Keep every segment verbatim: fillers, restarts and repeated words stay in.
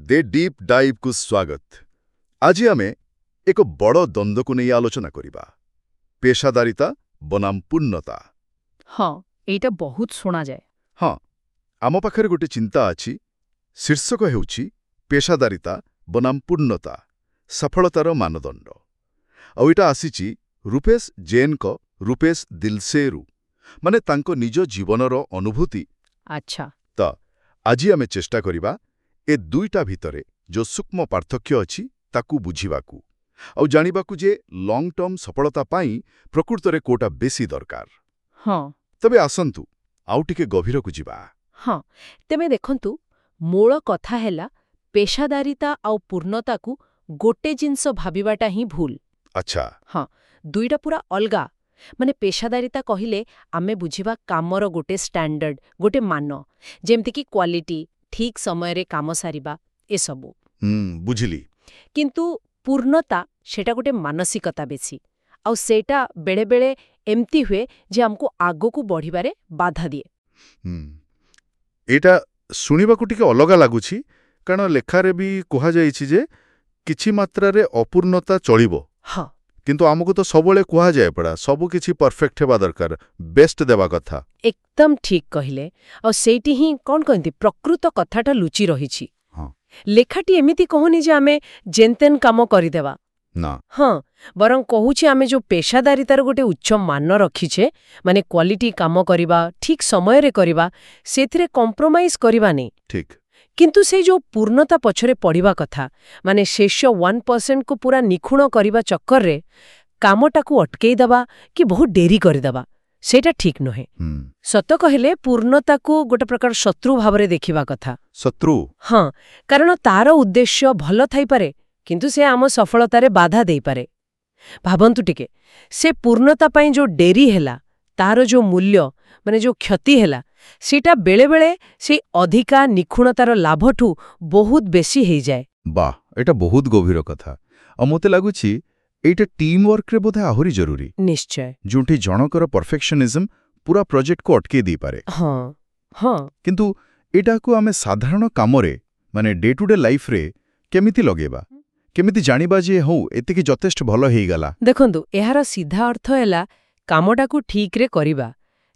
ଦ deep ଡାଇଭ୍କୁ ସ୍ୱାଗତ। ଆଜି ଆମେ ଏକ ବଡ଼ ଦ୍ୱନ୍ଦ୍ୱକୁ ନେଇ ଆଲୋଚନା କରିବା, ପେଶାଦାରିତା ବନାମ ପୂର୍ଣ୍ଣତା। ହଁ, ଏଇଟା ବହୁତ ଶୁଣାଯାଏ। ହଁ, ଆମ ପାଖରେ ଗୋଟେ ଚିନ୍ତା ଅଛି। ଶୀର୍ଷକ ହେଉଛି ପେଶାଦାରିତା ବନାମ ପୂର୍ଣ୍ଣତା, ସଫଳତାର ମାନଦଣ୍ଡ। ଆଉ ଏଇଟା ଆସିଛି ରୂପେଶ ଜୈନଙ୍କ ରୂପେଶ ଦିଲସେରୁ, ମାନେ ତାଙ୍କ ନିଜ ଜୀବନର ଅନୁଭୂତି। ଆଚ୍ଛା ତ ଆଜି ଆମେ ଚେଷ୍ଟା କରିବା ଏ ଦୁଇଟା ଭିତରେ ଯେଉଁ ସୂକ୍ଷ୍ମ ପାର୍ଥକ୍ୟ ଅଛି ତାକୁ ବୁଝିବାକୁ ଆଉ ଜାଣିବାକୁ ଯେ ଲଙ୍ଗ ଟର୍ମ ସଫଳତା ପାଇଁ ପ୍ରକୃତରେ କୋଉଟା ବେଶୀ ଦରକାର। ହଁ ତେବେ ଆସନ୍ତୁ, ଆଉ ଟିକେ ଗଭୀରକୁ ଯିବା। ହଁ, ତେବେ ଦେଖନ୍ତୁ, ମୂଳ କଥା ହେଲା ପେଶାଦାରିତା ଆଉ ପୂର୍ଣ୍ଣତାକୁ ଗୋଟେ ଜିନିଷ ଭାବିବାଟା ହିଁ ଭୁଲ। ଆଚ୍ଛା ହଁ, ଦୁଇଟା ପୁରା ଅଲଗା। ମାନେ ପେଶାଦାରିତା କହିଲେ ଆମେ ବୁଝିବା କାମର ଗୋଟେ ଷ୍ଟାଣ୍ଡାର୍ଡ, ଗୋଟେ ମାନ, ଯେମିତିକି କ୍ୱାଲିଟି, ଠିକ୍ ସମୟରେ କାମ ସାରିବା, ଏସବୁ। ହୁଁ ବୁଝିଲି। କିନ୍ତୁ ପୂର୍ଣ୍ଣତା, ସେଟା ଗୋଟେ ମାନସିକତା ବେଶୀ। ଆଉ ସେଇଟା ବେଳେବେଳେ ଏମିତି ହୁଏ ଯେ ଆମକୁ ଆଗକୁ ବଢ଼ିବାରେ ବାଧା ଦିଏ। ହୁଁ ଏଇଟା ଶୁଣିବାକୁ ଟିକେ ଅଲଗା ଲାଗୁଛି, କାରଣ ଲେଖାରେ ବି କୁହାଯାଇଛି ଯେ କିଛି ମାତ୍ରାରେ ଅପୂର୍ଣ୍ଣତା ଚଳିବ। ହଁ କିନ୍ତୁ ଆମକୁ ତ ସବୁବେଳେ କୁହାଯାଏ ପଡ଼ା, ସବୁ କିଛି ପରଫେକ୍ଟ ହେବା ଦରକାର, ବେଷ୍ଟ ଦେବା କଥା। ଏକଦମ ଠିକ୍ କହିଲେ। ଆଉ ସେଇଠି ହିଁ, କଣ କହନ୍ତି, ପ୍ରକୃତ କଥାଟା ଲୁଚି ରହିଛି। ହଁ ଲେଖାଟି ଏମିତି କହୁନି ଯେ ଆମେ ଯେନତେନ କାମ କରିଦେବା। ନା। ହଁ, ବରଂ କହୁଛି ଆମେ ଯୋଉ ପେଶାଦାରିତାର ଗୋଟେ ଉଚ୍ଚ ମାନ ରଖିଛେ, ମାନେ କ୍ୱାଲିଟି କାମ କରିବା, ଠିକ୍ ସମୟରେ କରିବା, ସେଥିରେ କମ୍ପ୍ରୋମାଇଜ କରିବାନି। ଠିକ୍ କିନ୍ତୁ ସେଇ ଯୋଉ ପୂର୍ଣ୍ଣତା ପଛରେ ପଡ଼ିବା କଥା, ମାନେ ଶେଷ ୱାନ୍ ପରସେଣ୍ଟକୁ ପୁରା ନିଖୁଣ କରିବା ଚକ୍କରରେ କାମଟାକୁ ଅଟକେଇ ଦେବା କି ବହୁତ ଡେରି କରିଦେବା, ସେଇଟା ଠିକ୍ ନୁହେଁ। ହୁଁ ସତ କହିଲେ ପୂର୍ଣ୍ଣତାକୁ ଗୋଟେ ପ୍ରକାର ଶତ୍ରୁ ଭାବରେ ଦେଖିବା କଥା। ଶତ୍ରୁ? ହଁ, କାରଣ ତାର ଉଦ୍ଦେଶ୍ୟ ଭଲ ଥାଇପାରେ, କିନ୍ତୁ ସେ ଆମ ସଫଳତାରେ ବାଧା ଦେଇପାରେ। ଭାବନ୍ତୁ ଟିକେ, ସେ ପୂର୍ଣ୍ଣତା ପାଇଁ ଯୋଉ ଡେରି ହେଲା, ତାର ଯୋଉ ମୂଲ୍ୟ, ମାନେ ଯୋଉ କ୍ଷତି ହେଲା, ସେଇଟା ବେଳେବେଳେ ସେଇ ଅଧିକା ନିଖୁଣତାର ଲାଭଠୁ ବହୁତ ବେଶୀ ହେଇଯାଏ। ବାহ, ଏଇଟା ବହୁତ ଗଭୀର କଥା। ଆଉ ମୋତେ ଲାଗୁଛି ଏଇଟା ଟିମ୍ ୱାର୍କରେ ବୋଧେ ଆହୁରି ଜରୁରୀ, ନିଶ୍ଚୟ ଯେଉଁଠି ଜଣଙ୍କର ପରଫେକ୍ସନିଜମ୍ ପୁରା ପ୍ରୋଜେକ୍ଟକୁ ଅଟକେଇ ଦେଇପାରେ। ହଁ ହଁ କିନ୍ତୁ ଏଇଟାକୁ ଆମେ ସାଧାରଣ କାମରେ, ମାନେ ଡେ ଟୁ ଡେ ଲାଇଫରେ କେମିତି ଲଗେଇବା? କେମିତି ଜାଣିବା ଯେ ହଉ, ଏତିକି ଯଥେଷ୍ଟ ଭଲ ହେଇଗଲା? ଦେଖନ୍ତୁ, ଏହାର ସିଧା ଅର୍ଥ ହେଲା କାମଟାକୁ ଠିକ୍ରେ କରିବା।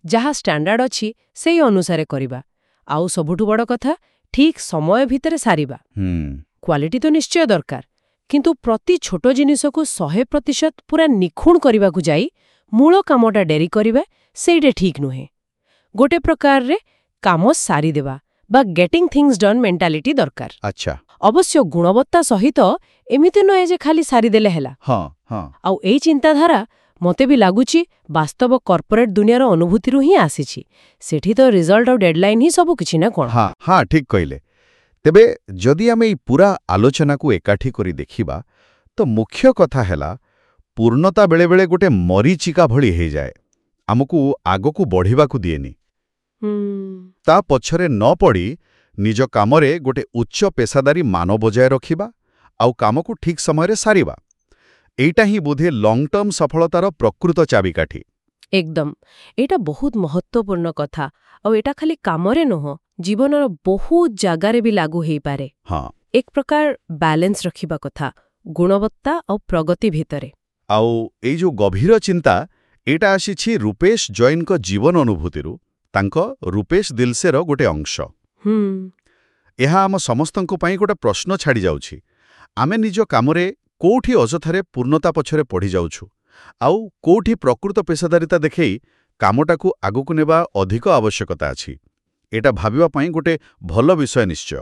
ଯାହା ଷ୍ଟାଣ୍ଡାର୍ଡ ଅଛି ସେଇ ଅନୁସାରେ କରିବା। ଆଉ ସବୁଠୁ ବଡ଼ କଥା, ଠିକ୍ ସମୟ ଭିତରେ ସାରିବା। ହୁଁ କ୍ୱାଲିଟି ତ ନିଶ୍ଚୟ ଦରକାର, କିନ୍ତୁ ପ୍ରତି ଛୋଟ ଜିନିଷକୁ ଶହେ ପ୍ରତିଶତ ପୁରା ନିଖୁଣ କରିବାକୁ ଯାଇ ମୂଳ କାମଟା ଡେରି କରିବା, ସେଇଟା ଠିକ୍ ନୁହେଁ। ଗୋଟେ ପ୍ରକାରରେ କାମ ସାରିଦେବା ବା ଗେଟିଂ ଥିଙ୍ଗସ୍ ଡନ୍ ମେଣ୍ଟାଲିଟି ଦରକାର। ଆଚ୍ଛା ଅବଶ୍ୟ ଗୁଣବତ୍ତା ସହିତ, ଏମିତି ନୁହେଁ ଯେ ଖାଲି ସାରିଦେଲେ ହେଲା। ହଁ ହଁ ଆଉ ଏଇ ଚିନ୍ତାଧାରା ମତେ ବି ଲାଗୁଛି ବାସ୍ତବ କର୍ପୋରେଟ୍ ଦୁନିଆର ଅନୁଭୂତିରୁ ହିଁ ଆସିଛି। ସେଠି ତ ରିଜଲ୍ଟ ଆଉ ଡେଡଲାଇନ୍ ହିଁ ସବୁ କିଛି, ନା କଣ? ହଁ ହଁ ଠିକ୍ କହିଲେ। ତେବେ ଯଦି ଆମେ ଏଇ ପୁରା ଆଲୋଚନାକୁ ଏକାଠି କରି ଦେଖିବା, ତ ମୁଖ୍ୟ କଥା ହେଲା ପୂର୍ଣ୍ଣତା ବେଳେବେଳେ ଗୋଟେ ମରୀଚିକା ଭଳି ହେଇଯାଏ, ଆମକୁ ଆଗକୁ ବଢ଼ିବାକୁ ଦିଏନି। ହୁଁ ତା ପଛରେ ନ ପଡ଼ି ନିଜ କାମରେ ଗୋଟେ ଉଚ୍ଚ ପେଶାଦାରୀ ମାନ ବଜାୟ ରଖିବା ଆଉ କାମକୁ ଠିକ୍ ସମୟରେ ସାରିବା, ଏଇଟା ହିଁ ବୋଧେ ଲଙ୍ଗ ଟର୍ମ ସଫଳତାର ପ୍ରକୃତ ଚାବିକାଠି। ଏକଦମ, ଏଇଟା ବହୁତ ମହତ୍ତ୍ୱପୂର୍ଣ୍ଣ କଥା। ଆଉ ଏଇଟା ଖାଲି କାମରେ ନୁହଁ, ଜୀବନର ବହୁତ ଜାଗାରେ ବି ଲାଗୁ ହେଇପାରେ। ହଁ ଏକ ପ୍ରକାର ବାଲାନ୍ସ ରଖିବା କଥା ଗୁଣବତ୍ତା ଆଉ ପ୍ରଗତି ଭିତରେ। ଆଉ ଏଇ ଯୋଉ ଗଭୀର ଚିନ୍ତା, ଏଇଟା ଆସିଛି ରୂପେଶ ଜୈନଙ୍କ ଜୀବନ ଅନୁଭୂତିରୁ, ତାଙ୍କ ରୂପେଶ ଦିଲସେର ଗୋଟେ ଅଂଶ। ହୁଁ ଏହା ଆମ ସମସ୍ତଙ୍କ ପାଇଁ ଗୋଟେ ପ୍ରଶ୍ନ ଛାଡ଼ି ଯାଉଛି। ଆମେ ନିଜ କାମରେ କୋଉଠି ଅଯଥାରେ ପୂର୍ଣ୍ଣତା ପଛରେ ପଡ଼ିଯାଉଛୁ ଆଉ କୋଉଠି ପ୍ରକୃତ ପେଶାଦାରିତା ଦେଖେଇ କାମଟାକୁ ଆଗକୁ ନେବା ଅଧିକ ଆବଶ୍ୟକତା ଅଛି, ଏଇଟା ଭାବିବା ପାଇଁ ଗୋଟେ ଭଲ ବିଷୟ ନିଶ୍ଚୟ।